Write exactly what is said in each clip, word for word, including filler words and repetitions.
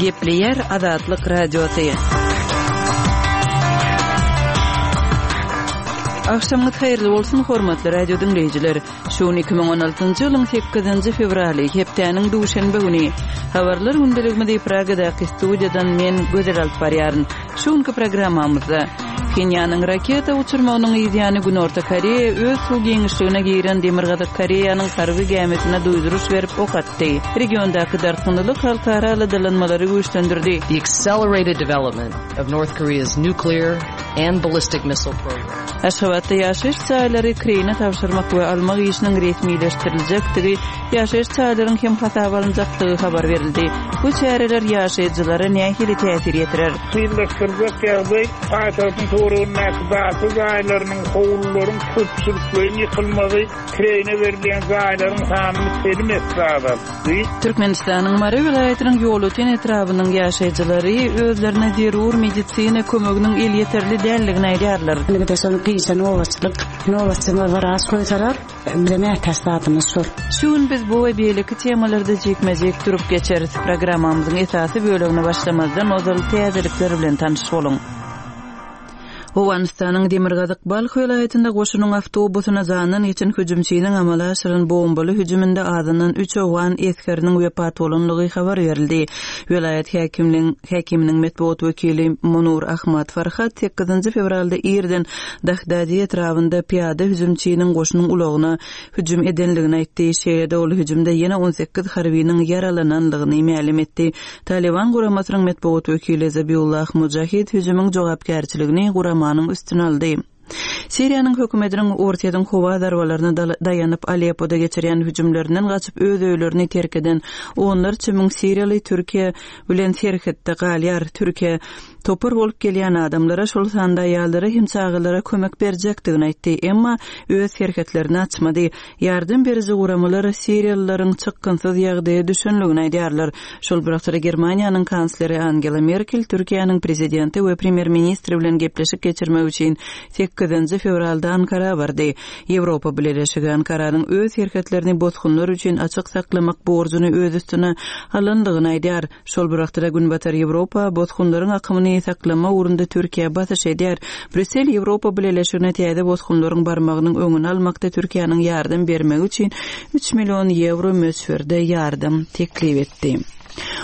Gepleýär Azatlyk Radiosy. Agşamyňyz haýyrly bolsun, hormatly radio diňleýjiler. Şu gün iki müň on altynjy ýylyň sekizinji fewraly, hepdäniň duşenbe güni. Habarlar gündeligimizi Pragadaky studiýadan men Gözel alyp barýaryn. Şu günki programmamyzda Phenýanyň raketa uçurmagynyň yzýany Günorta Koreýa öz suw giňişligine giren Demirgazyk Koreýanyň harby gämisine duýduryş berip ok atdy. Regiondaky dartgynlylyk halkara aladalanmalary güýçlendirdi. The accelerated development of North Korea's nuclear and ballistic missile program. Aşgabatda ýaşaýyş jaýlary kireýine tabşyrmak we almak işiniň resmileşdiriljekdigi, ýaşaýyş jaýlaryň hem hasaba alynjakdygy habar berildi. Bu çäreler ýaşaýjylara nähili täsir ýetirer? Kynlaşdyrjak ýagdaý paýtagtyň töweregindäki daşy jaýlarynyň, howlularyň köpçülikleýin ýykylmagy, kireýine berilýän jaýlaryň sanyny telim esse azaltdy. Türkmenistanyň Mary welaýatynyň Ýolöten etrabynyň ýaşaýjylary özlerine zerur medisina kömeginiň elýeterli däldigini aýdýarlar. Indi şol gije nobatçylyk, nobatçylar wraç goýsalar, bize mätäç zadymyz şol. Şu gün biz bu we beýleki temalarda jikme-jik durup geçeris. Programmamyzyň esasy bölegine başlamazdan ozal täzelikler bilen tanyş boluň. Owganystanyň Demirgazyk Balh welaýatynda goşunyň awtobusyna jandan geçen hüjümçiniň amala aşyran bombaly hüjüminde azyndan üç owgan esgeriniň wepat bolanlygy habar berildi. Welaýat häkimligiň, häkiminiň metbugat wekili Munur Ahmad Farhat sekizinji fewralda irden Dahdadi etrabynda piýada hüjümçiniň goşunyň ulagyna hüjüm edenligini aýtdy. Şeýle-de ol hüjümde ýene on sekiz harbynyň ýaralananlygyny mälim etdi. Taliban guramasynyň metbugat wekili Zabiullah Mujahid hüjümiň jogapkärçiligini guramanyň üstüne aldy. Siriýanyň hökümetiniň Orsýetiň howa zarbalaryna daýanyp Aleppoda geçirýän hüjümlerinden gaçyp öz öýlerini terk eden onlarça müň siriýaly Türkiýe bilen serhetde galýar. Türkiýe topar bolup gelýän adamlara, şol sanda aýallara hem çagalara kömek berjekdigini aýtdy, emma öz serhetlerini açmady. Ýardam beriji guramalar siriýalylaryň çykgynsyz ýagdaýa düşenligini aýdýarlar. Şol bir wagtda Germaniýanyň kansleri Angela Merkel Türkiýäniň prezidenti we premýer-ministri bilen gepleşik geçirmek üçin sekizinji fewralda Ankara bardy. Ýewropa Bileleşigi Ankaranyň öz serhetlerini bosgunlar üçin açyk saklamak borjuny öz üstüne alanlygyny aýdýar. Şol bir wagtda Günbatar Ýewropa bosgunlaryň akymyny saklama ugrunda Türkiýe basyş edýär. Brüssel Ýewropa Bileleşigine täze bosgunlaryň barmagynyň öňüni almakda Türkiýäniň ýardam bermegi üçin üç million ýewro möçberde ýardam teklip etdi.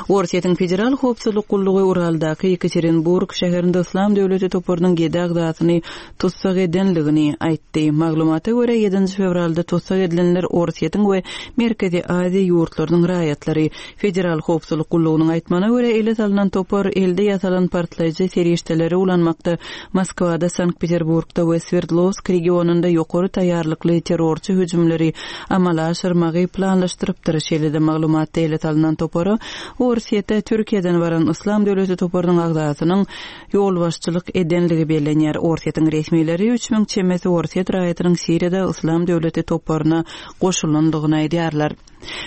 Orsýetiň Federal Howpsuzlyk Gullugy Uraldaky Ýekaterinburg şäherinde Yslam döwleti toparynyň ýedi agzasyny tussag edenligini aýtdy. Maglumata görä ýedinji fewralda tussag edilenler Orsýetiň we Merkezi Aziýa ýurtlarynyň raýatlary. Federal Howpsuzlyk Gullugynyň aýtmagyna görä ele salynan topar elde ýasalan partlaýjy serişdeleri ulanmakda Moskwada, Sankt-Peterburgda we Swerdlovsk regionynda ýokary taýýarlykly terrorçy hüjümleri amala aşyrmagy planlaşdyrypdyr. Şeýle-de maglumatda ele salynan topara Orsýetde Türkiýeden baran Yslam döwleti toparynyň agzasynyň ýolbaşçylyk edenligi bellenýär. Orsýetiň resmileri üç müň çemesi Orsýet raýatynyň Siriýada Yslam döwleti toparyna goşulandygyny aýdýarlar.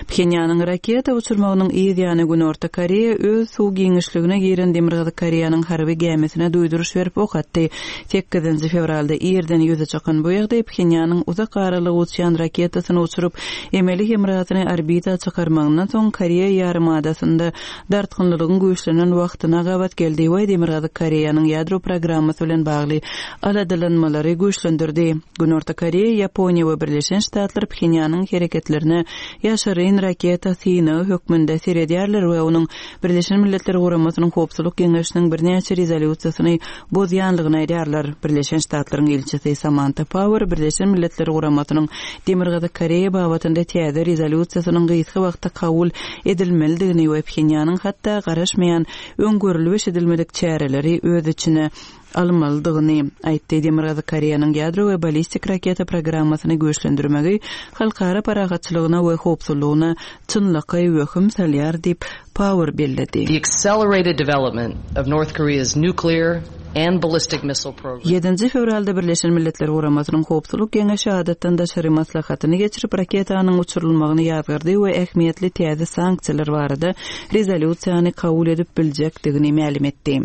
Phenýanyň raketa uçurmagynyň yz ýany Günorta Koreýa öz suw giňişligine giren Demirgazyk Koreýanyň harby gämisine duýduryş berip ok atdy. Sekizinji fewralda irden ýüze çykan bu ýagdaý Phenýanyň uzak aralyga uçýan raketasyny uçuryp, emeli hemrasyny orbita çykarmagyndan soň Koreýa ýarymadasynda dartgynlylygyň güýçlenen wagtyna gabat geldi we Demirgazyk Koreýanyň ýadro programmasy bilen bagly aladalanmalary güýçlendirdi. Günorta Koreýa, Ýaponiýa we Birleşen Ştatlar Phenýanyň hereketlerine ýaşaryn raketa synagy hökmünde seredýärler we onuň Birleşen Milletler Guramasynyň Howpsuzlyk Geňeşiniň birnäçe rezolýusiýasyny bozýanlygyny aýdýarlar. Birleşen Ştatlaryň ilçisi Samantha Power Birleşen Milletler Guramasynyň Demirgazyk Koreýa babatynda täze rezolýusiýasynyň gysga wagtda kabul edilmelidigini we Phenýanyň hatda garaşmaýan öňgörülip eşidilmedik çäreleri öz içine almalydygyny aýtdy. Demirgazyk Koreýanyň ýadro we ballistik raketa programmasyny güýçlendirmegi halkara parahatçylygyna we howpsuzlygyna çynlakaý wehim salýar diýip Power belledi. The accelerated development of North Korea's nuclear and ballistic missile program. Ýedinji fewralda Birleşen Milletler Guramasynyň Howpsuzlyk Geňeşi adatdan daşary maslahatyny geçirip raketanyň uçurylmagyny ýazgardy we ähmiýetli täze sanksiýalar barada rezolýusiýany kabul edip biljekdigini mälim etdi.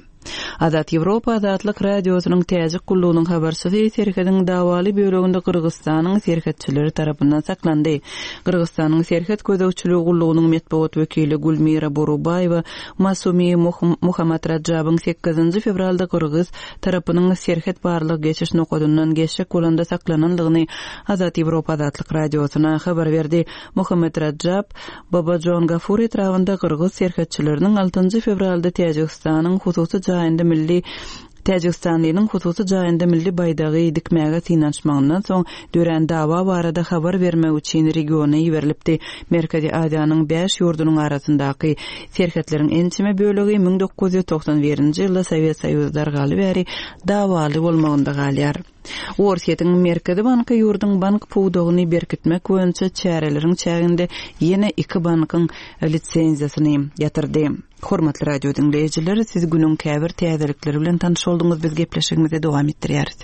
Azat Ýewropa Azatlyk Radiosynyň Täjik gullugynyň habarçysy serhediň dawaly böleginde Gyrgyzystanyň serhetçileri tarapyndan saklandy. Gyrgyzystanyň serhet gözegçiligi gullugynyň metbugat wekili Gülmira Borubaýewa Masumi Muhammad Rajabyň sekizinji fewralda Gyrgyz tarapynyň serhet barlyk geçiş nokadyndan geçjek bolanda saklanandygyny Azat Ýewropa Azatlyk Radiosyna habar berdi. Muhammad Rajab Babajon Gafur etrabynda Gyrgyz serhetçileriniň altynjy fewralda Täjigistanyň hususy jaýynda milli Täjigistanlynyň hususy jaýynda milli baýdagy dikmäge synanyşmagyndan soň dörän dawa barada habar bermek üçin regiona iberilipdi. Merkezi Aziýanyň bäş ýurdunyň arasyndaky serhetleriň ençeme bölegi müň dokuz ýüz togsan birinji ýylda Sowet Soýuzy dargaly bäri dawaly bolmagynda galýar. Orsýetiň Merkezi banky ýurduň bank pudagyny berkitmek boýunça çäreleriň çäginde ýene iki bankyň lisenziýasyny ýatyrdy. Hormatly radio diňleýjiler, siz günüň käbir täzelikleri bilen tanyş bolduňyz. Biz gepleşigimizi dowam etdirýäris.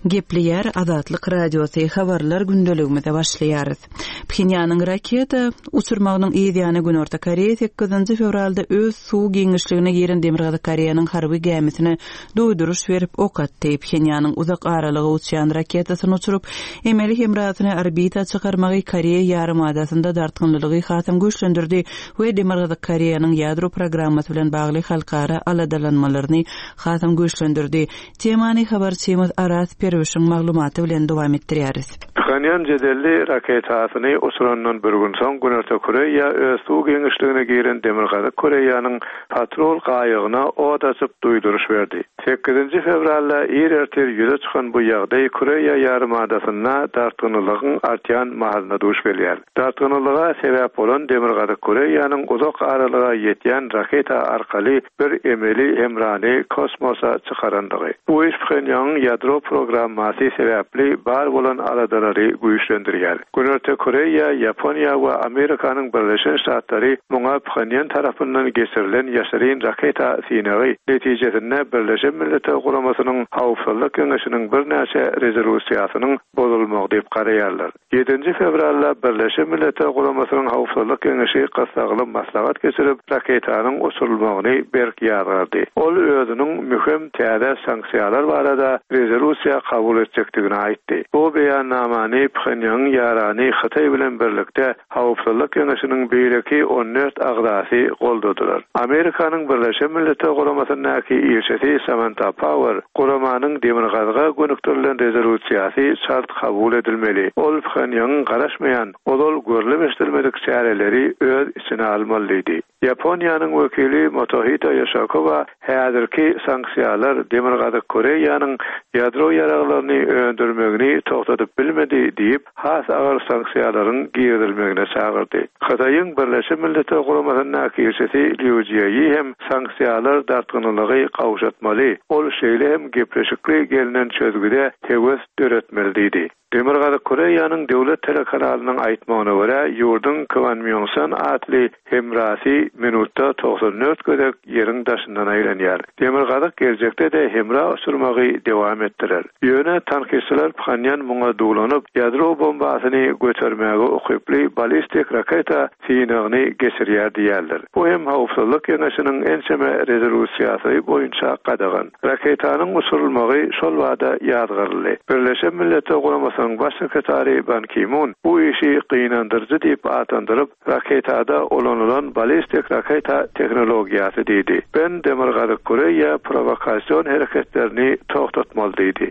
Gepleýär Azatlyk Radiosy habarlar gündeligimize başlaýarys. Phenýanyň raketa uçurmagynyň yzýany Günorta Koreýa sekizinji fewralda öz suw giňişligine giren Demirgazyk Koreýanyň harby gämisine duýduryş berip ok atdy. Phenýanyň uzak aralyga uçýan raketasyny uçurup, emeli hemrasyny orbita çykarmagy Koreýa ýarymadasynda dartgynlylygy hasam güýçlendirdi we Demirgazyk Koreýanyň ýadro programmasy bilen bagly halkara aladalanmalaryny hasam güýçlendirdi. Temany habarçymyz Aras Perwişiň maglumaty bilen dowam etdirýäris. Phenýan jedelli raketasyny uçurandan bir gün soň Günorta Koreýa öz suw giňişligine giren Demirgazyk Koreýanyň patrol gaýygyna od açyp duýduryş berdi. Sekizinji fewralda ir ertir ýüze çykan bu ýagdaý Koreýa ýarymadasynda dartgynlylygyň artýan mahalyna duş gelýär. Dartgynlylyga sebäp bolan Demirgazyk Koreýanyň uzak aralyga ýetýän raketa arkaly bir emeli hemrany kosmosa çykarandygy. Bu iş Phenýanyň ýadro programmasy sebäpli bar bolan aladalary güýçlendirýär. Günorta Koreýa, Ýaponiýa we Amerikanyň Birleşen Ştatlary muňa Phenýan tarapyndan geçirilen ýaşyryn raketa synagy netijesinde Birleşen Milletler Guramasynyň Howpsuzlyk Geňeşiniň birnäçe rezolýusiýasynyň bozulmagy diýip garaýarlar. Ýedinji fewralda Birleşen Milletler Guramasynyň Howpsuzlyk Geňeşi gyssagly maslahat geçirip, raketanyň uçurylmagyny berk ýazgardy. Ol özüniň möhüm täze sanksiýalar barada rezolýusiýa kabul etjekdigini aýtdy. Bu beýannamany Phenýanyň ýarany Hytaý bilen birlikde Howpsuzlyk Geňeşiniň beýleki on dört agzasy goldadylar. Amerikanyň Birleşen Milletler Guramasyndaky ilçisi Samantha Power guramanyň Demirgazyga gönükdirilen rezolýusiýasy çalt kabul edilmeli. Ol Phenýanyň garaşmaýan, ozal görülip çäreleri öz içine almalydy. Ýaponiýanyň wekili Motohito Yoshikawa häzirki sanksiýalar Demirgazyk Koreýanyň ýadro ýaraglaryny öndürmegini togtadyp bilmedi diýip, has agyr sanksiýalaryň girizilmegine çagyrdy. Hytaýyň Birleşen Milletler Guramasyndaky ilçisi Liu Jieyi hem sanksiýalar dartgynlylygy gowşatmaly. Ol şeýle hem gepleşikli gelinen çözgüde höwes döretmeli diýdi. Demirgazyk Koreýanyň döwlet telekanalynyň aýtmagyna görä, ýurduň Kwangmyongsan atly hemrasy minutda togsan dört gezek ýeriň daşyndan aýlanýar. Demirgazyk geljekde de hemra uçurmagy dowam etdiler. Ýöne tankistler Phenýan muňa duwlanyp, ýadro bombasyny götermäge ukyply ballistik raketa synagyny geçirýär diýerler. Bu hem Howpsuzlyk Geňeşiniň ençeme rezolýusiýasy boýunça gadagan. Raketanyň uçurylmagy şol wada ýazgaryldy. Birleşen Milletler Guramasynyň Baş sekretary Ban Ki-mun bu işi gynandyryjy diýip atlandyryp, raketada ulanylan ballistik raketa tehnologiýasy diýdi. Ben Demirgazyk Koreýa prowokasion hereketlerini togtatmaly diýdi.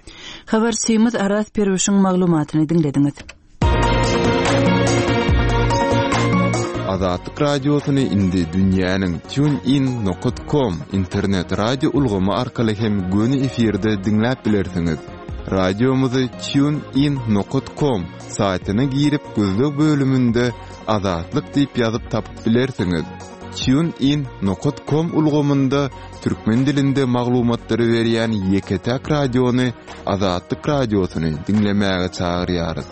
Habarçymyz Aras Perwişiň maglumatyny diňlediňiz. Azatlyk Radiosyny indi dünýäniň TuneIn nokta com internet radio ulgamy arkaly hem göni efirde diňläp bilersiňiz. Radiomyzy TuneIn nokta com saýtyna girip gözleg bölüminde Azatlyk diýip ýazyp tapyp bilersiňiz. TuneIn nokta com ulgamynda türkmen dilinde maglumatlary berýän ýeke-täk radiony Azatlyk Radiosyny diňlemäge çagyrýarys.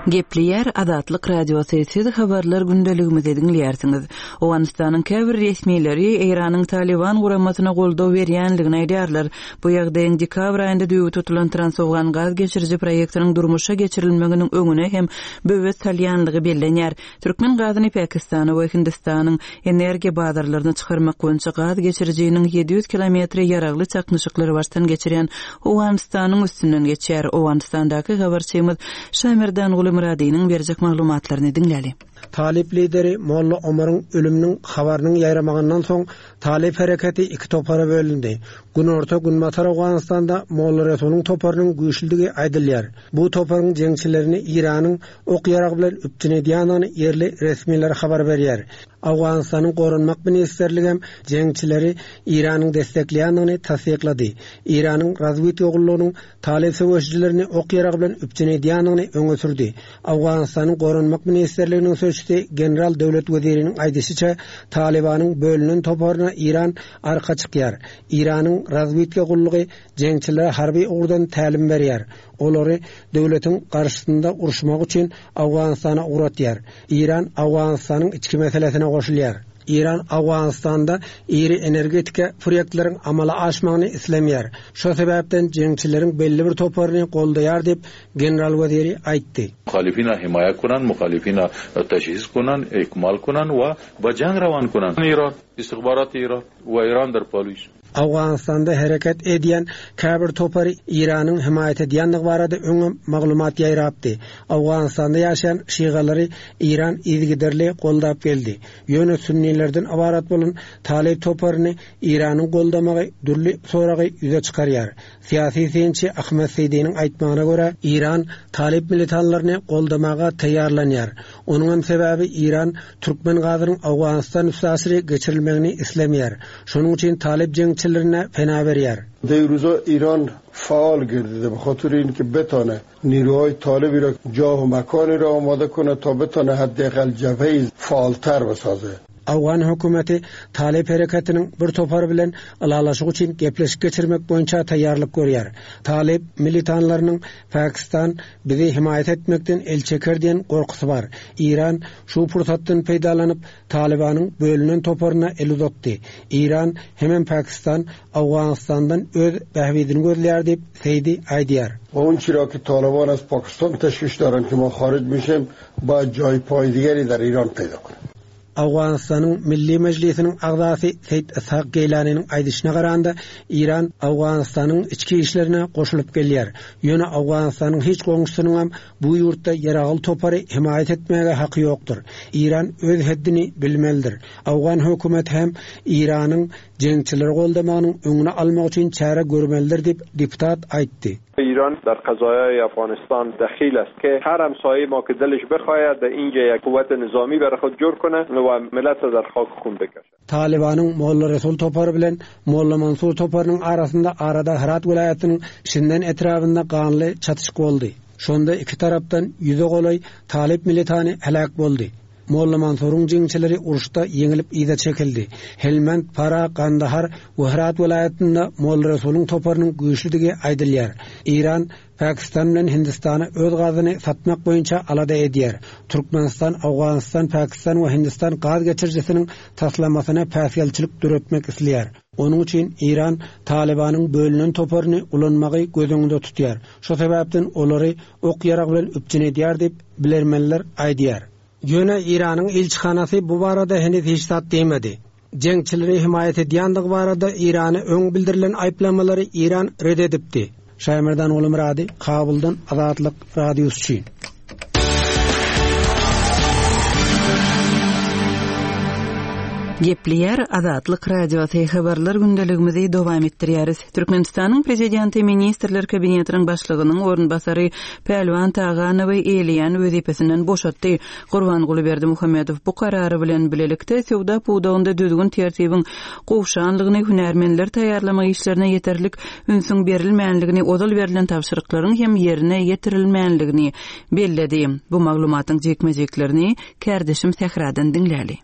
Gepleýär Azatlyk Radiosy, siz habarlar gündeligimizi diňleýärsiňiz. Owganystanyň käbir resmileri Eýranyň Taliban guramasyna goldaw berýänligini aýdýarlar. Bu ýagdaýyň dekabr aýynda düýbi tutulan Transowgan gaz geçiriji proýektiniň durmuşa geçirilmeginiň öňüne hem böwet salýanlygy bellenýär. Türkmen gazyny Pakistana we Hindistanyň energiýa bazarlaryna çykarmak boýunça gaz geçirijiniň ýedi ýüz kilometri ýaragly çaknyşyklary başdan geçirýän Owganystanyň üstünden geçýär. Owganystandaky habarçymyz Şamerdanguly Myradynyň berjek maglumatlaryny diňläli. Talyp lideri Molla Omaryň ölüminiň habarynyň ýaýramagyndan soň Talyp hereketi iki topara bölündi. Günorta Günbatar Owganystanda Molla Resulyň toparynyň güýçlüdigi aýdylýar. Bu toparyň jeňçilerini Eýranyň ok-ýarag bilen üpjün edýändigini ýerli resmiler habar berýär. Owganystanyň Goranmak ministrligi hem jeňçileri Eýranyň destekleýändigini tassyklady. Eýranyň razwedka gullugynyň Talyp söweşijilerini ok-ýarag bilen üpjün edýändigini öňe sürdi. Owganystanyň Goranmak ministrliginiň sözçüsi General Döwlet Weziriniň aýdyşyça, Talybanyň bölünen toparyna Eýran arka çykýar. Eýranyň razwedka gullugy jeňçilere harby ugurdan tälim berýär. Olary döwletiň garşysynda uruşmak üçin Owganystana ugratýar. Eýran Owganystanyň içki meselesine goşulýar. Eýran Owganystanda iri energetika proýektleriň amala aşmagyny islemeýär. Şo sebäpden jeňçileriň belli bir toparyny goldaýar diýip, general weziri aýtdy. Muhalifina himaýa kunan, muhalifina teşhis kunan, ikmal kunan we ba jang rawan kunan. Eýran, istihbarat Eýran we Eýran der polis. Owganystanda hereket edýän käbir topary Eýranyň himaýat edýändigi barada öňem maglumat ýaýrapdy. Owganystanda ýaşaýan şigalary Eýran yzygiderli goldap geldi. Ýöne sünnilerden ybarat bolan Talyp toparyny Eýranyň goldamagy dürli soragy ýüze çykarýar. Syýasy synçy Ahmet Seýdiniň aýtmagyna görä, Eýran Talyp militanlaryny goldamaga taýýarlanýar. Onuň hem sebäbi Eýran türkmen gazynyň Owganystan üstaşyry geçirilmegini islemeýär. Şonuň üçin Talyp jeňçilerine pena berýär. Deýruza Eýran faal girdide be xatir in ki betane نیروهای طالبی را جاه و مکانی را آماده کنه تا بتانه حداقل جبهه فعالتر بسازه. Owgan hökümeti Talyp hereketiniň bir topary bilen ylalaşyk üçin gepleşik geçirmek boýunça taýýarlyk görýär. Talyp militanlarynyň Pakistan bizi himaýat etmekden el çeker diýen gorkusy bar. Eýran şu pursatdan peýdalanyp Talybanyň bölünen toparyna el uzatdy. Eýran hemem Pakistan Owganystandan öz bähbidini gözleýär diýip Seýdi aýdýar. O çira ki Taliban az Pakistan teşviş daran ki ma xaric mişem ba jay pay digeri dar İran peyda konam. Owganystanyň Milli Mejlisiniň agzasy Seýit Ishak Geýlanynyň aýdyşyna garanda Eýran Owganystanyň içki işlerine goşulyp gelýär. Ýöne Owganystanyň hiç goňşusynyň hem bu ýurtda ýaragly topary himaýat etmäge haky ýokdur. Eýran öz heddini bilmelidir. Owgan hökümeti hem Eýranyň jeňçileri goldamagynyň öňüni almak üçin çäre görmelidir diýip deputat aýtdy. ایران در قضایای افغانستان دخیل است که هر همسایه ما که دلش بخواهد در اینجا یک قوت نظامی برای خود جور کنه و ملت را در خاک خون بکشه. Talibanyň Molla Resul topary bilen Molla Mansur toparynyň arasynda arada Herat welaýatynyň Şinden etrabynda ganly çatyşyk boldy. Şonda iki tarapdan ýüze golaý Talip militany helak boldy. Molla Mansuryň jeňçileri uruşda ýeňilip yza çekildi. Helmand, Para, Kandahar we Herat welaýatynda Molla Resulyň toparynyň güýçlüdigi aýdylýar. Eýran Pakistan bilen Hindistana öz gazyny satmak boýunça alada edýär. Türkmenistan, Owganystan, Pakistan we Hindistan gaz geçirijisiniň taslamasyna päsgelçilik döretmek isleýär. Onuň üçin Eýran Talibanyň bölünen toparyny ulanmagy göz öňünde tutýar. Şo sebäpden olary ok-ýarag bilen üpjün edýär diýip bilermenler aýdýar. Ýöne Eýranyň ilçihanasy bu barada henüz hiç zat diýmedi. Jeňçileri himaýat edýändigi barada Eýrana öň bildirilen aýyplamalary Eýran red edipdi. Şaýmerdan Gulmyrady, Kabuldan Azatlyk Radiosy üçin. Gepleýär Azatlyk Radiosy habarlar gündeligimizi dowam etdirýäris. Türkmenistanyň prezidenti Ministrler Kabinetiniň başlygynyň orunbasary Pälwan Taganowy eýleýän wezipesinden boşatdy. Gurbanguly Berdimuhamedow bu karary bilen bilelikde söwda pudagynda düzgün tertibiň gowşanlygyny hünärmenler taýýarlama işlerine ýeterlik ünsüň berilmänligini, ozal berlen tabşyryklaryň hem ýerine ýetirilmänligini belledi. Bu maglumatyň jekme-jeklerini kärdeşim Sähradan diňläli.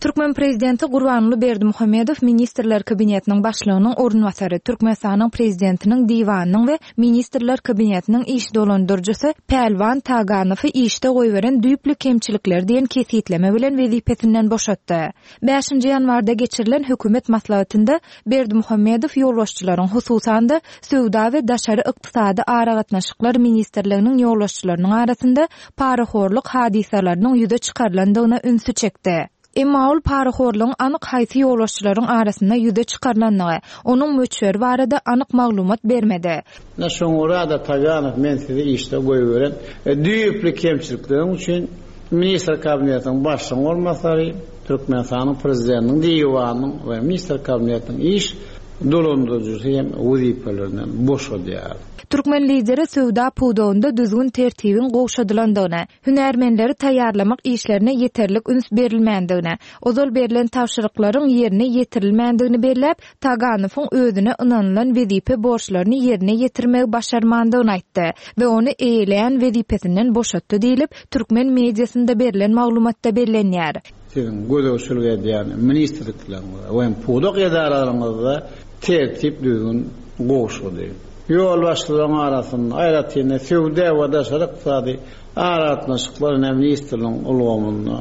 Türkmen prezidenti Gurbanguly Berdimuhamedow Ministrler Kabinetiniň başlygynyň orunbasary, Türkmenistanyň prezidentiniň diwanynyň we Ministrler Kabinetiniň iş dolandyryjysy Pälwan Taganowy işde goýberen düýpli kemçilikler diýen kesitleme bilen wezipesinden boşatdy. Bäşinji ýanwarda geçirilen hökümet maslahatynda Berdimuhamedow ýolbaşçylaryň, hususan-da, Söwda we daşary ykdysady aragatnaşyklar ministrliginiň ýolbaşçylarynyň arasynda parahorluk hadysalarynyň ýüze çykarylandygyna ünsi çekdi. Emma ol parahorlugyň anyk haýsy ýolbaşçylaryň arasynda ýüze çykarylandygy, onuň möçberi barada anyk maglumat bermedi. Ine şoňa görä-de Taganow men sizi işde goýberen düýpli kemçilikleriň üçin Ministr Kabinetiniň başlygynyň orunbasary, Türkmenistanyň Prezidentiniň diwanynyň we Ministr Kabinetiniň iş dolandyryjysy hem wezipelerinden boşadýar. Türkmen Lideri söwda pudagynda düzgün-tertibiň gowşadylandygyny, hünärmenleri taýýarlamak işlerine ýeterlik üns berilmändigini, ozal berlen tabşyryklaryň ýerine ýetirilmändigini belläp, Taganowyň özüne ynanylan wezipe borçlaryny ýerine ýetirmegi başarmandygyny aýtdy we ony eýeleýän wezipesinden boşatdy diýlip, türkmen mediasynda berlen maglumatda bellenýär. Siziň gözegçilik edýän ministrlikleriňizde we pudak edaralaryňyzda tertip-düzgün gowşady. Ýolbaşçylaryň arasynda, aýratyn-da, Söwda we daşary ykdysady aragatnaşyklar ministrligiň ulgamynda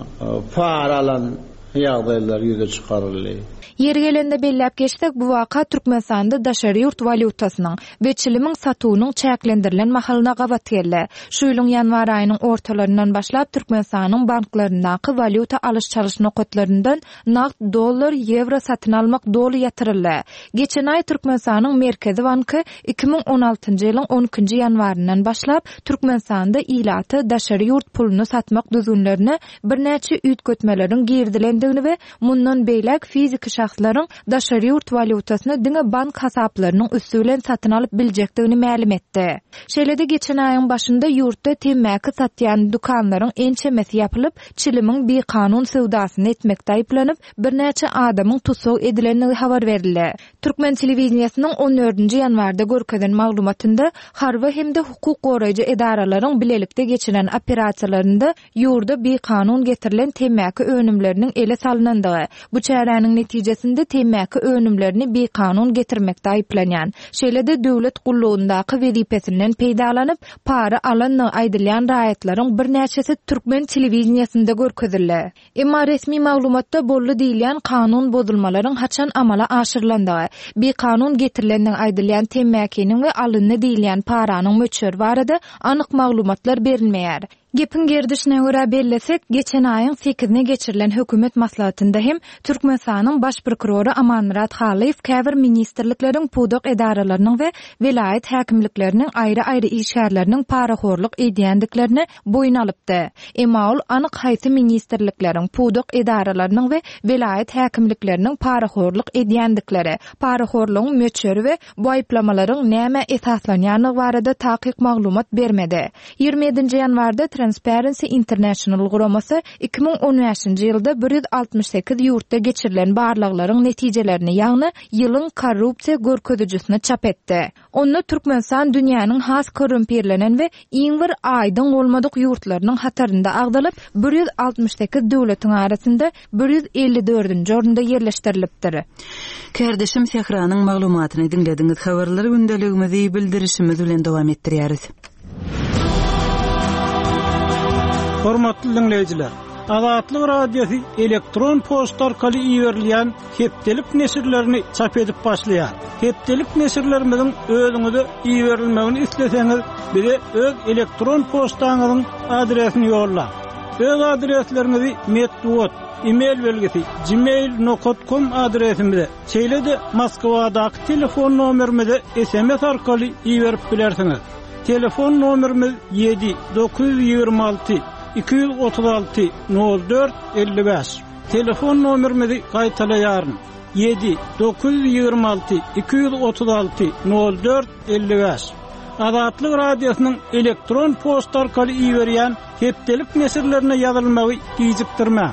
para alan ýagdaýlar ýüze çykaryldy. Ýeri gelende belläp geçsek, bu waka Türkmenistanda daşary ýurt walýutasynyň we çilimiň satuwynyň çäklendirilen mahalyna gabat geldi. Şu ýylyň ýanwar aýynyň ortalaryndan başlap Türkmenistanyň banklaryndaky walýuta alyş-çalyş nokatlaryndan nagt dollar, ýewro satyn almak doly ýatyryldy. Geçen aý Türkmenistanyň Merkezi banky iki müň on altynjy ýylyň on ikinji ýanwaryndan başlap Türkmenistanda ilata daşary ýurt puluny satmak düzgünlerine birnäçe üýtgetmeleriň girizilendigini we mundan beýläk fiziki şahslaryň daşary ýurt walýutasyny diňe bank hasaplarynyň üsti bilen satyn alyp biljekdigini mälim etdi. Şeýle-de geçen aýyň başynda ýurtda temmäki satýan dükanlaryň ençemesi ýapylyp, çilimiň bikanun söwdasyny etmekde aýyplanyp, birnäçe adamyň tussag edilendigi habar berildi. Türkmen telewideniýesiniň on dördünji ýanwarda görkezen maglumatynda harby hem-de hukuk goraýjy edaralaryň bilelikde geçiren operasiýalarynda ýurda bikanun getirilen temmäki önümleriniň ele salynandygy, bu çäräniň netijesinde temmäki önümlerini bikanun getirmekde aýyplanýan, şeýle-de döwlet gullugyndaky wezipesinden peýdalanyp, para alandygy aýdylýan raýatlaryň birnäçesi türkmen telewideniýesinde görkezildi. Emma resmi maglumatda boldy diýilýän kanun bozulmalaryň haçan amala aşyrylandygy, bikanun getirilendigi aýdylýan temmäkiniň we alyndy diýilýän paranyň möçberi barada anyk maglumatlar berilmeýär. Gepiň gerdişine görä bellesek, geçen aýyň sekizine geçirilen hökümet maslahatynda hem Türkmenistanyň baş prokurory Amanmyrat Halyýew käbir ministrlikleriň, pudak edaralarynyň we welaýat häkimlikleriniň aýry-aýry işgärleriniň parahorluk edýändiklerini boýun alypdy. Emma ol anyk haýsy ministrlikleriň, pudak edaralarynyň we welaýat häkimlikleriniň parahorluk edýändikleri, parahorlugyň möçberi we bu aýyplamalaryň näme esaslanýandygy barada takyk maglumat bermedi. Ýigrimi ýedinji ýanwarda Transparency International guramasy iki müň on bäşinji ýylda bir ýüz altmyş sekiz ýurtda geçirilen barlaglaryň netijelerini, ýagny ýylyň korrupsiýa görkezijisini çap etdi. Onda Türkmenistan dünýäniň has korrumpirlenen we iň bir aýdyň bolmadyk ýurtlarynyň hatarynda agzalyp, bir ýüz altmyş sekiz döwletiň arasynda bir ýüz elli dördünji orunda ýerleşdirilipdir. Kardeşim Sähranyň maglumatyny diňlediňiz. Habarlar gündeligimizi bildirişimiz bilen dowam etdirýäris. Hormatly dinleýjiler, Azatlyk Radiosy elektron poçta arkaly iberilýän hepdelik neşirlerini çap edip başlaýar. Hepdelik neşirlerimiziň özüňize iberilmegini isleseňiz, bize öz elektron poçtaňyzyň adresini ýollaň. Öz adresleriňizi metbugat, e-mail belgisi gmail nokta com adresimize, şeýle-de Moskwadaky telefon nomerimize S M S arkaly iberip bilersiňiz. Telefon nomerimiz ýedi dokuz ýüz ýigrimi alty iki ýüz otuz alty nol dört elli bäş. Telefon nomerimizi gaýtalaýaryn. Ýedi dokuz ýüz ýigrimi alty iki ýüz otuz alty nol dört elli bäş. Azatlyk Radiosynyň elektron poçta arkaly iberýän hepdelik neşirlerine ýazylmagy gijikdirmäň.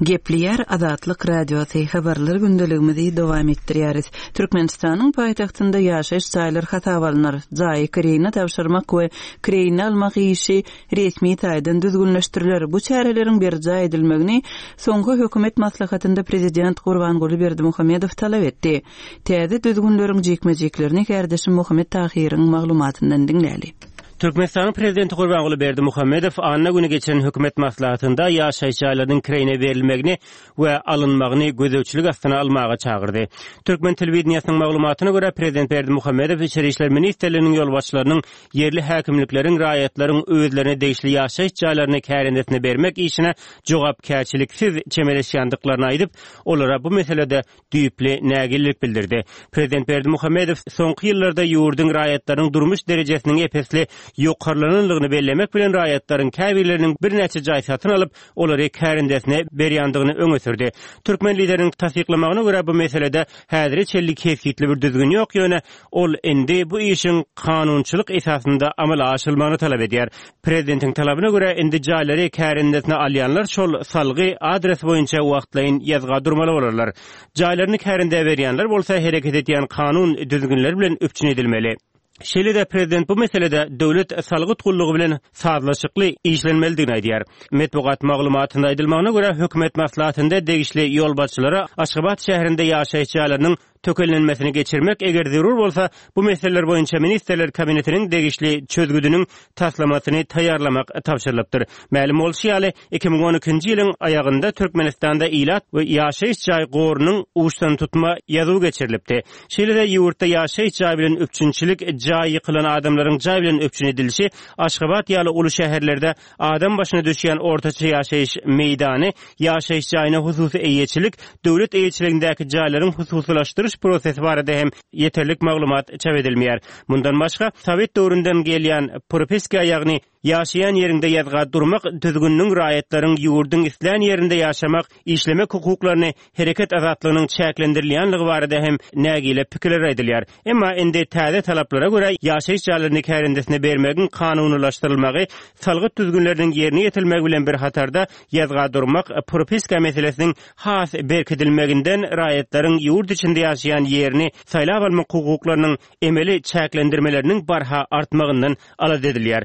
Gepleýär Azatlyk Radiosy, habarlar gündeligimizi dowam etdirýäris. Türkmenistanyň paýtagtynda ýaşaýyş jaýlar hasaba alnar. Jaýy kireýine tabşyrmak we kireýine almak işi resmi taýdan düzgünleşdiriler. Bu çäreleriň berjaý edilmegini soňky hökümet maslahatynda prezident Gurbanguly Berdimuhamedow talap etdi. Täze düzgünleriň jikme-jiklerini kärdeşim Muhammet Tahyryň maglumatyndan diňläli. Türkmenistanyň prezidenti Gurbanguly Berdimuhamedow anna güni geçen hökümet maslahatynda ýaşaýyş jaýlarynyň kireýine berilmegini we alynmagyny gözegçilik astyna almaga çagyrdy. Türkmen telewideniýesiniň maglumatyna görä, prezident Berdimuhamedow Içeri işler ministrliginiň ýolbaşçylarynyň ýerli häkimlikleriň raýatlaryň özlerine degişli ýaşaýyş jaýlaryny kärendesine bermek işine jogapkärçiliksiz çemeleşýändiklaryny aýdyp, olara bu meselede düýpli nägilelik bildirdi. Prezident Berdimuhamedow soňky ýyllarda ýurduň raýatlarynyň durmuş derejesiniň ep-esli ýokarlanandygyny bellemek bilen raýatlaryň käbirleriniň birnäçe jaý satyn alyp, olary kärendesine berýändigini öňe sürdi. Türkmen lideriniň tassyklamagyna görä, bu meselede häzire çenli kesgitli bir düzgün ýok, ýöne ol indi bu işiň kanunçylyk esasynda amala aşyrylmagyny talap edýär. Prezidentiň talabyna görä, indi jaýlary kärendesine alýanlar şol salgy adres boýunça wagtlaýyn ýazga durmaly bolarlar. Jaýlaryny kärendä berýänler bolsa hereket edýän kanun düzgünleri bilen üpjün edilmeli. Şeýle-de prezident bu meselede döwlet salgyt gullugy bilen sazlaşykly işlenmelidigini aýdýar. Metbugat maglumatynda aýdylmagyna görä, hökümet maslahatynda degişli ýolbaşçylara Aşgabat şäherinde ýaşaýyş jaýlarynyň tökellenmesini geçirmek, eger zerur bolsa, bu meseleler boýunça Ministrler Kabinetiniň degişli çözgüdiniň taslamasyny taýýarlamak tabşyrylypdyr. Mälim bolşy ýaly, iki müň on ikinji ýylyň aýagynda Türkmenistanda ilat we ýaşaýyş jaý gorunyň uçdantutma ýazuwy geçirilipdi. Şeýle-de ýurtda ýaşaýyş jaý bilen üpjünçilik, jaý ýykylan adamlaryň jaý bilen üpjün edilişi, Aşgabat ýaly uly şäherlerde adam başyna düşýän ortaça ýaşaýyş meýdany, ýaşaýyş jaýyna hususy eýeçilik, döwlet eýeçiligindäki jaýlaryň hususylaşdyryş prosesi barada hem ýeterlik maglumat çap edilmeýär. Mundan başga, Sowet döwründen gelýän propiska, ýagny ýaşaýan ýeriňde ýazga durmak düzgüniniň raýatlaryň ýurduň islän ýerinde ýaşamak, işlemek hukuklaryny hereket azatlygynyň çäklendirilýänligi barada hem nägile pikirler aýdylýar. Emma indi täze talaplara görä ýaşaýyş jaýlaryny kärendesine bermegiň kanunylaşdyrylmagy, salgyt düzgünleriniň ýerine ýetirilmegi bilen bir hatarda ýazga durmak propiska meselesiniň has berkidilmeginden raýatlaryň ýurt içinde ýaşaýan ýerini saýlap almak hukuklarynyň emeli çäklendirmeleriniň barha artmagyndan alada edilýär.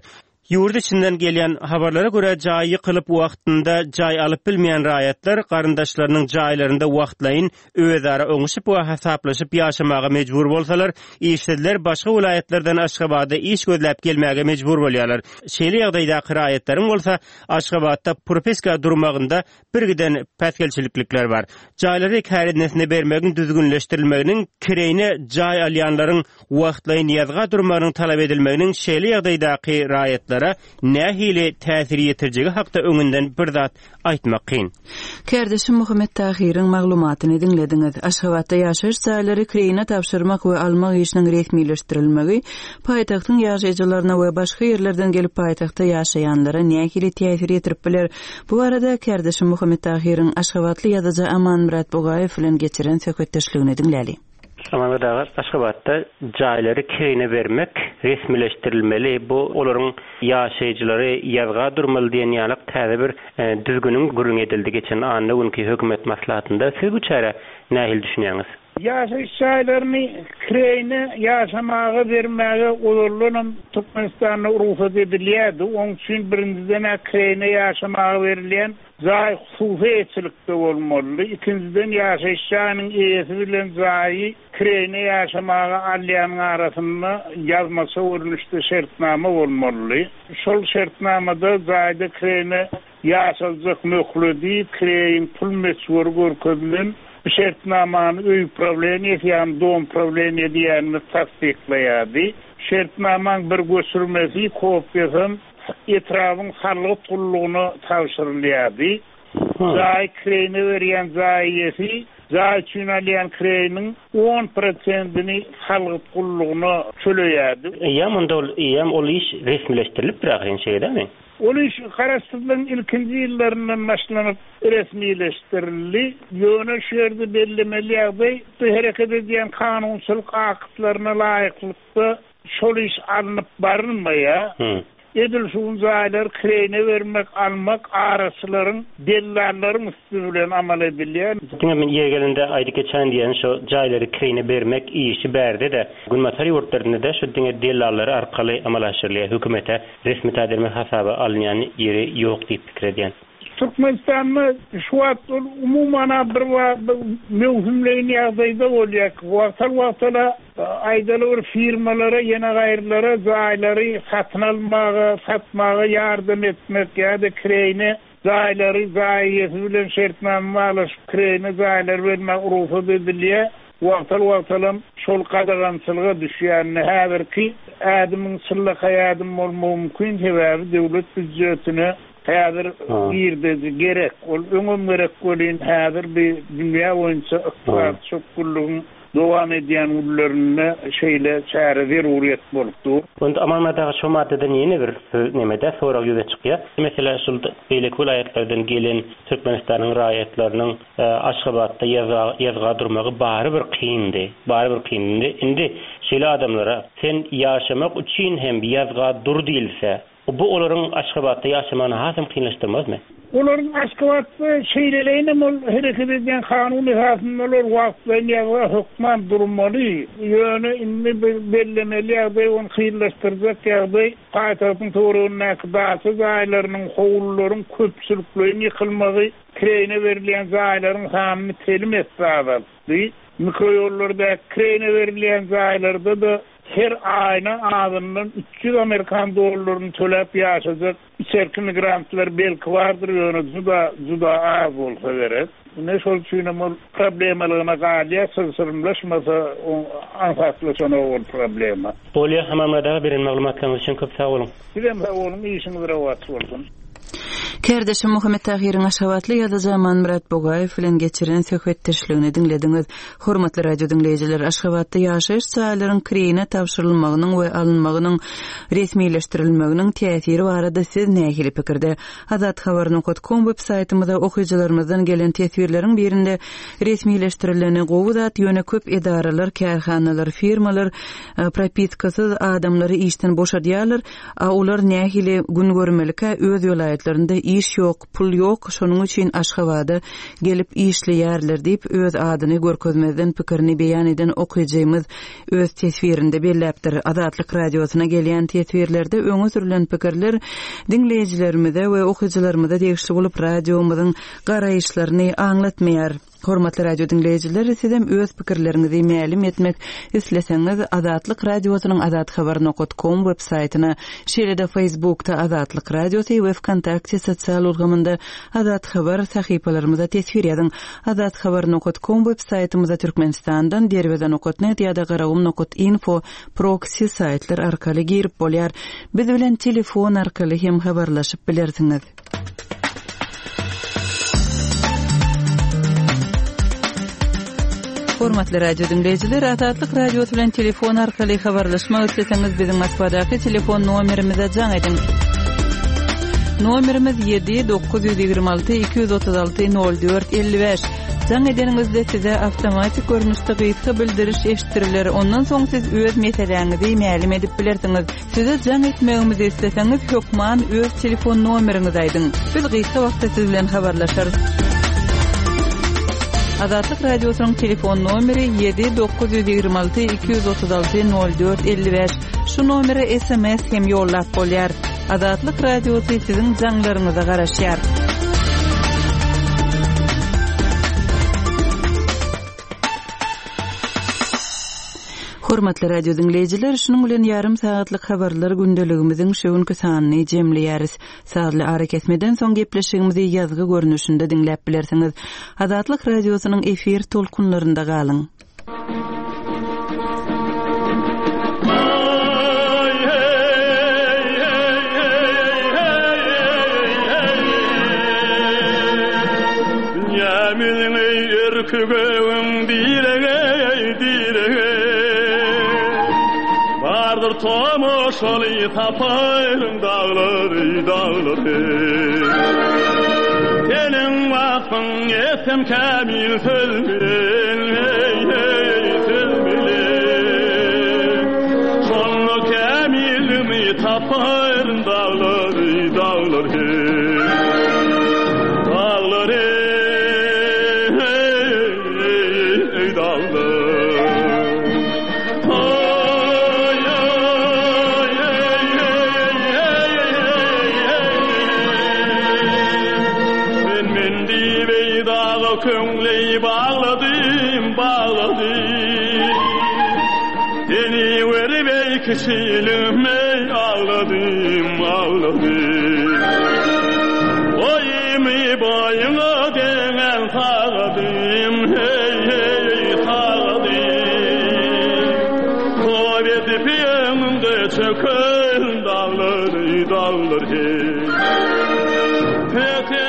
Ýurt içinden gelýän habarlara görä jaý ýykylyp wagtynda jaý alyp bilmeýän raýatlar garyndaşlarynyň jaýlarynda wagtlaýyn özara oňuşyp we hasaplaşyp ýaşamaga mejbur bolsalar, işsizler başga welaýatlardan Aşgabada iş gözläp gelmäge mejbur bolýarlar. Şeýle ýagdaýdaky raýatlaryň bolsa Aşgabatda propiska durmagynda bir giden päsgelçilikler bar. Jaýlary kärendesine bermegiň düzgünleşdirilmeginiň, kireýine jaý alýanlaryň wagtlaýyn ýazga durmagynyň talap edilmeginiň şeýle ýagdaýdaky raýatlara nähili täsir ýetirjegi hakda öňünden bir zat aýtmak kyn. Kärdeşim Muhammet Tahyryň maglumatyny diňlediňiz. Aşgabatda ýaşaýyş jaýlary kireýine tabşyrmak we almak işiniň resmileşdirilmegi paýtagtyň ýaşaýjylaryna we başga ýerlerden gelip paýtagtda ýaşaýanlara nähili täsir ýetirip biler? Bu arada kärdeşim Muhammet Tahyryň Aşgabatly ýazyjy Amanmyrat Bugaýew bilen geçiren söhbetdeşligini diňläli. Amanmyrat aga, Aşgabatda jaýlary kireýine bermek resmileşdirilmeli. Bu olaryň ýaşaýjylary ýazga durmaly diýen ýaly täze bir, e, düzgüniň gürrüň edildi geçen anna günki hökümet maslahatynda. Siz bu çärä nähili düşünýäňiz? Ýaşaýyş jaýlaryny kireýine ýaşamaga bermäge ozaldanam Türkmenistanda rugsat edilýärdi. Onuň üçin birinjiden kireýine ýaşamaga berilýän jaý hususy eýeçilikde bolmaly. Ikinjiden ýaşaýyş jaýynyň eýesi bilen jaýy kireýine ýaşamaga alýanyň arasynda ýazmaça görnüşde şertnama bolmaly. Şol şertnamada jaýda kireýine ýaşaljak möhledi, kireýin pul möçberi görkezilen bu şertnamany öý prawleniýesi, ýagny dom prawleniýe diýenimiz tassyklaýardy. Şertnamaň bir göçürmesi, kopýasy etrabın salgyt gullugyna tabşyrylýardy. Jaý kireýine berýän jaý eýesi jaý üçin alýan kireýiniň on prosentini salgyt gullugyna töleýärdi. Eýýäm onda ol, eýýäm ol iş resmileşdirilip ahyryn şeýdemi? Ol iş Garaşsyzlygyň ilkinji ýyllaryndan başlanyp resmileşdirildi. Ýöne şu ýerde bellemeli ýagdaý, bu hereket edýän kanunçylyk aktlaryna laýyklykda şol iş alnyp barylmaýar. Edil şu gün jaýlary kireýine bermek, almak araçylaryň, dellallaryň üsti bilen amal edilýär. Diňe men ýeri gelende aýdyp geçäýin diýýän, şu jaýlary kireýine bermek işi bärde-de, günbatar ýurtlarynda-da şu diňe dellallar arkaly amala aşyrylýar. Hökümete resmi taýdan bir hasaba alynýan ýeri ýok diýip pikir edýän. Türkmenistanda şu wagt ol umuman-a bir möwsümleýin ýagdaýda bolýar. Wagtal-wagtala aýdaly bir firmalara, ýene gaýrylara jaýlary satyn almaga, satmaga ýardam etmek ýa-da kireýine jaýlary jaý eýesi bilen şertnama baglaşyp kireýine jaýlary bermäge rugsat edilýär. Wagtal-wagtalam şol gadagançylyga düşýänini häzirki ädimiň çynlakaý ädim bolmagy mümkin, sebäbi döwlet býujetine häzir girdeji gerek. Ol öňem gerek welin häzir bir dünýä boýunça ykdysady çökgünligiň dowam edýän günlerinde şeýle çäre zeruryýet bolup dur. Onda Amanmyrat aga şu maddadan ýene bir söz nemede sorag ýüze çykýar. Meselä şul beýleki welaýatlardan gelen Türkmenistanyň raýatlarynyň Aşgabatda ýazga ýazga durmagy barybir kyndy. Barybir kyndy. Indi şeýle adamlara sen ýaşamak üçin hem ýazga dur diýilse, bu olaryň Aşgabatda ýaşamagyny hasam kynlaşdyrmazmy? Olaryň Aşgabatda şeýleleýinem ol hereket edýän kanun esasynda olar wagtlaýyn ýazga hökman durmaly. Ýöne indi bir bellemeli ýagdaý, ony kynlaşdyrjak ýagdaý paýtagtyň töweregindäki daça jaýlarynyň, howlularyň köpçülikleýin ýykylmagy, kireýine berilýän jaýlaryň sanyny telim esse azaltdy. Mikroýollardaky kireýine berilýän jaýlarda-da her aýyna azyndan üç ýüz amerikan dollaryny töläp ýaşajak içerki migrantlar belki bardyr, ýöne juda, juda az bolsa gerek. Ine şol üçinem ol problemalygyna galýar, çylşyrymlaşmasa aňsatlaşanok ol problema. Bolýar, Amanmyrat aga, beren maglumatlaryňyz üçin köp sag boluň. Sizem sag boluň, işiňiz rowaç bolsun. Kärdeşim Muhammet Tahyryň Aşgabatly ýazyjy Amanmyrat Bugaýew bilen geçiren söhbetdeşligini diňlediňiz. Hormatly radio diňleýjiler, Aşgabatda ýaşaýyş jaýlaryň kireýine tabşyrylmagynyň we alynmagynyň resmileşdirilmeginiň täsiri barada siz nähili pikirde? Azathabar nokat kom web saýtymyza okyjylarymyzdan gelen teswirleriň birinde resmileşdirileni gowy zat, ýöne köp edaralar, kärhanalar, firmalar propiskasyz adamlary işden boşadýarlar, a olar nähili gün görmelikä öz welaýatlarynda iş ýok, pul ýok, şonuň üçin Aşgabada gelip işleýärler diýip öz adyny görkezmezden pikirini beýan eden okyjymyz öz teswirinde belläpdir. Azatlyk radiosyna gelýän teswirlerde öňe sürülen pikirler diňleýjilerimize we okyjylarymyza degişli bolup radiomyzyň garaýyşlaryny aňlatmaýar. Hormatly radio diňleýjiler, sizem öz pikirleriňizi mälim etmek isleseňiz Azatlyk radiosynyň azathabar nokat kom web saýtyna, şeýle-de Facebookda Azatlyk radiosy we Vkontakte sosial ulgamynda Azat Habar sahypalarymyza teswir ýazyň. Azathabar nokat kom web saýtymyza Türkmenistandan derweze nokat net ýa-da garagum nokat info proxy saýtlar arkaly girip bolýar. Biz bilen telefon arkaly hem habarlaşyp bilersiňiz. Hormatly radio diňleýjiler, Azatlyk radiosy bilen telefon arkaly habarlaşmak isleseňiz biziň Moskwadaky telefon nomerimize jaň ediň. Nomerimiz ýedi dokuz ýüz ýigrimi alty iki ýüz otuz alty nol dört elli bäş. Jaň edeniňizde size awtomatik görnüşde gysga bildiriş eşitdiriler. Ondan soň siz öz meseläňizi mälim edip bilersiňiz. Size jaň etmegimizi isleseňiz hökman öz telefon nomeriňizi aýdyň. Biz gysga wagtda siz bilen habarlaşarys. Azatlyk radiosynyň telefon nomeri ýedi dokuz ýüz ýigrimi alty iki ýüz otuz alty nol dört elli bäş. Şu nomere S M S hem ýollap bolýar. Azatlyk radiosy siziň jaňlaryňyza garaşýar. Hormatly radio diňleýjiler, şunuň bilen ýarym sagatlyk habarlar gündeligimiziň şu günki sanyny jemleýäris. Sazly arakesmeden soň gepleşigimizi ýazgy görnüşinde diňläp bilersiňiz. Azatlyk radiosynyň efir tolkunlarynda galyň. Dünýämiziň erki göwün direge, direge. Bardyr tomaşaly tapaýyň dağlary, dağlary. Seniň wagtyň etsem kämil söz bilen, hey, hey, söz bilen. Şonda kämilimi tapaýyň dağlary. daga köňli bagladym, bagladym. Seni verip ey kişilim ey ağladım, ağladım. Boyumu boyuna denen sağladım, hey hey sağladım. Top edip yanımda çöken dağları, dağları hey.